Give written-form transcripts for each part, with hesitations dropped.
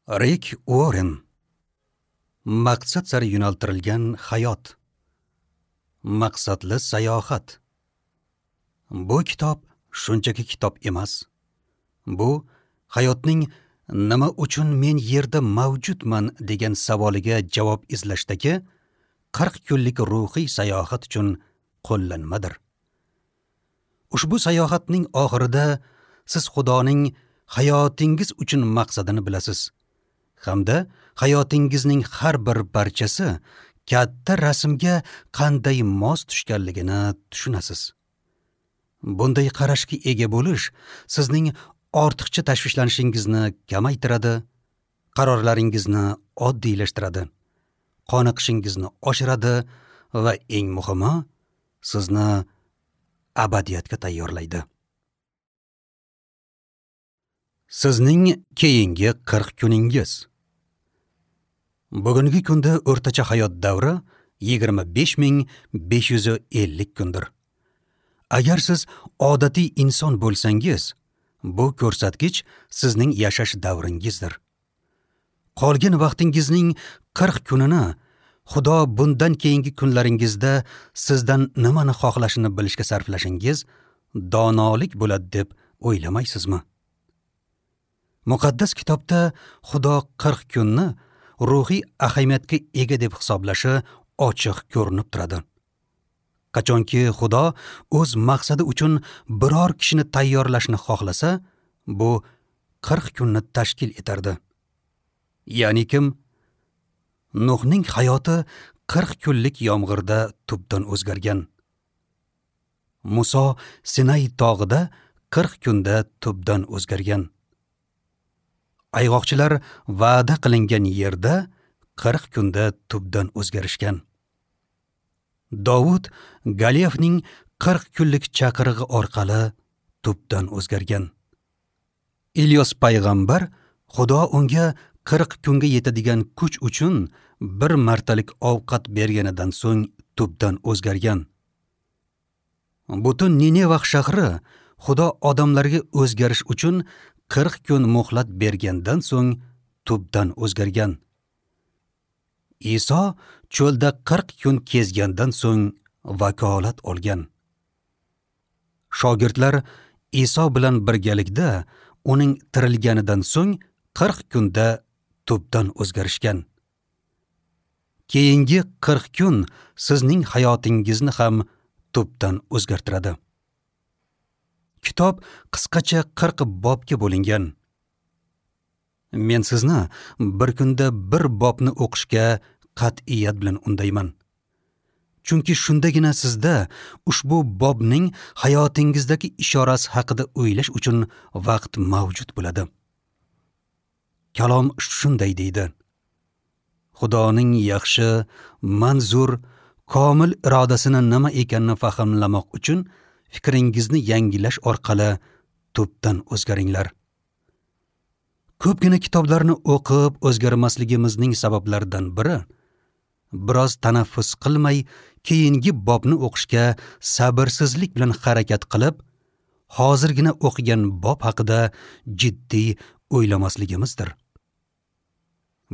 Rik Uorren. Maqsad sari yo'naltirilgan hayot. Maqsadli sayohat. Bu kitob shunchaki kitob emas. Bu hayotning nima uchun men yerda mavjudman degan savoliga javob izlashdagi 40 kunlik ruhiy sayohat uchun qo'llanmadir. Ushbu sayohatning oxirida siz Xudoning hayotingiz uchun maqsadini bilasiz hamda hayotingizning har bir parchasi katta rasmga qanday mos tushganligini tushunasiz. Bunday qarashga ega bo'lish sizning ortiqcha tashvishlanishingizni kamaytiradi, qarorlaringizni oddiylashtiradi, qoniqishingizni oshiradi va eng muhimi, sizni abadiyatga tayyorlaydi. Sizning keyingi 40 kuningiz. Bugungi kunda o'rtacha hayot davri 25 550 kundir. Agar siz odatiy inson bo'lsangiz, bu ko'rsatkich sizning yashash davringizdir. Qolgan vaqtingizning 40 kunini Xudo bundan keyingi kunlaringizda sizdan nimani xohlashini bilishga sarflashingiz donolik bo'ladi deb o'ylamaysizmi? Muqaddas kitobda Xudo 40 kunni ruhiy ahamiyatga ega deb hisoblashi ochiq ko'rinib turadi. Qachonki Xudo o'z maqsadi uchun biror kishini tayyorlashni xohlasa, bu 40 kunni tashkil etardi. Ya'ni kim Nuhning hayoti 40 kunlik yomg'irda tubdan o'zgargan. Muso Sinay tog'ida 40 kunda tubdan o'zgargan. Ayg'oqchilar va'da qilingan yerda 40 kunda tubdan o'zgarishgan. Dovud Goliafning 40 kunlik chaqirig'i orqali tubdan o'zgargan. Ilyos payg'ambar Xudo unga 40 kunga yetadigan kuch uchun bir martalik ovqat berganidan so'ng tubdan o'zgargan. Butun Nineva shahri Xudo odamlarga o'zgarish uchun 40 kun muhlat bergandan so'ng tubdan o'zgargan. Iso cho'lda 40 kun kezgandan so'ng vakolat olgan. Shogirdlar Iso bilan birgalikda uning tirilganidan so'ng 40 kunda tubdan o'zgarishgan. Keyingi 40 kun sizning hayotingizni ham tubdan o'zgartiradi. Kitob qisqacha 40 bobga bo'lingan. Men sizni bir kunda bir bobni o'qishga qat'iyat bilan undayman. Chunki shundagina sizda ushbu bobning hayotingizdagi ishorasi haqida o'ylash uchun vaqt mavjud bo'ladi. Kalom shunday deydi: Xudoning yaxshi, manzur, komil irodasini nima ekanini fahmlamoq uchun fikringizni yangilash orqali tubdan o'zgaringlar. Ko'pgina kitoblarni o'qib o'zgarmasligimizning sabablaridan biri biroz tanaffus qilmay keyingi bobni o'qishga sabrsizlik bilan harakat qilib, hozirgina o'qigan bob haqida jiddiy o'ylamasligimizdir.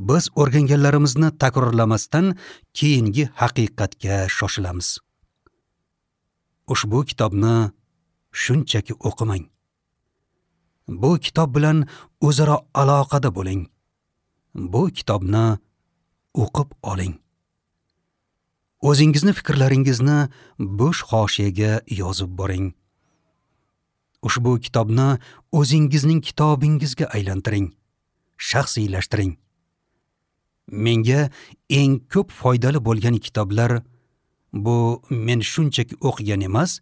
Biz o'rganganlarimizni takrorlamasdan keyingi haqiqatga shoshilamiz. Ushbu kitobni shunchaki o'qimang. Bu kitob bilan o'zaro aloqada bo'ling. Bu kitobni o'qib oling. O'zingizni fikrlaringizni bo'sh hoshiyaga yozib boring. Ushbu kitobni o'zingizning kitobingizga aylantiring, shaxsiylashtiring. Menga eng ko'p foydali bo'lgan kitoblar bu men shunchaki o'qigan emas,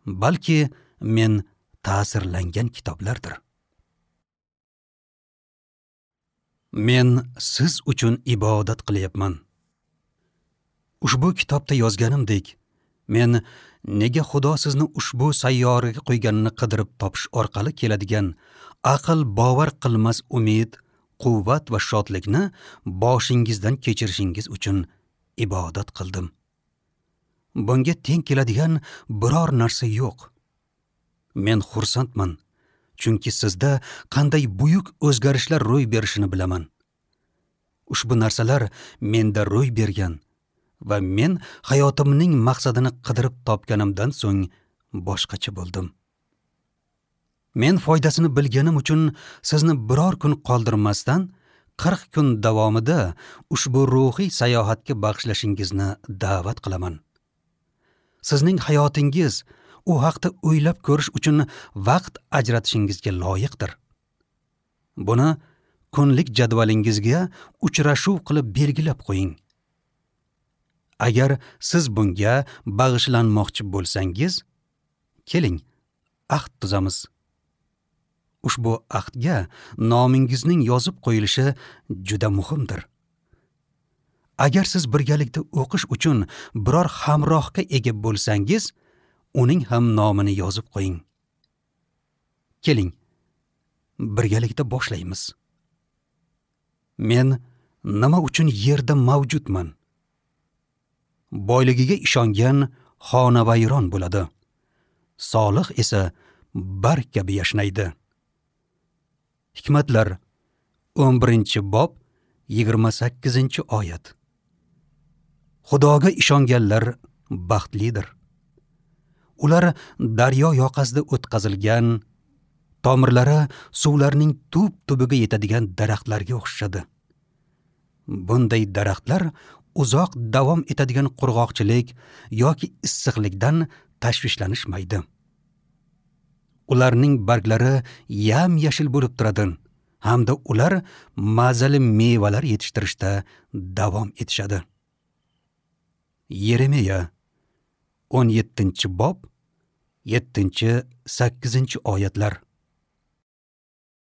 balki men ta'sirlangan kitoblardir. Men siz uchun ibodat qilyapman. Ushbu kitobda yozganimdek, men nega Xudo sizni ushbu sayyoraga qo'yganini qidirib topish orqali keladigan aql bovar qilmas umid, quvvat va shodlikni boshingizdan kechirishingiz uchun ibodat qildim. Bunga teng keladigan biror narsa yo'q. Men xursandman, chunki sizda qanday buyuk o'zgarishlar ro'y berishini bilaman. Ushbu narsalar menda ro'y bergan va men hayotimning maqsadini qidirib topganimdan so'ng boshqacha bo'ldim. Men foydasini bilganim uchun sizni biror kun qoldirmasdan 40 kun davomida ushbu ruhiy sayohatga bag'ishlashingizni da'vat qilaman. Sizning hayotingiz u haqda o'ylab ko'rish uchun vaqt ajratishingizga loyiqdir. Buni kunlik jadvalingizga uchrashuv qilib belgilab qo'ying. Agar siz bunga bag'ishlanmoqchi bo'lsangiz, keling, ahd tuzamiz. Ushbu ahdga nomingizning yozib qo'yilishi juda muhimdir. Agar siz birgalikda o'qish uchun biror hamrohga ega bo'lsangiz, uning ham nomini yozib qo'ying. Keling, birgalikda boshlaymiz. Men nima uchun yerda mavjudman? Boyligiga ishongan xonavayron bo'ladi. Solih esa barg kabi yashnaydi. Hikmatlar 11-bob 28-oyat. Xudoga ishonganlar baxtlidir. Ular daryo yoqasida o'tkazilgan, tomirlari suvlarning tub tubiga yetadigan daraxtlarga o'xshashadi. Bunday daraxtlar uzoq davom etadigan qurg'oqchilik yoki issiqlikdan tashvishlanishmaydi. Ularning barglari yam-yashil bo'lib turadi hamda ular mazali mevalar yetishtirishda davom etishadi. Yeremiya 17-bob 7-8 oyatlar.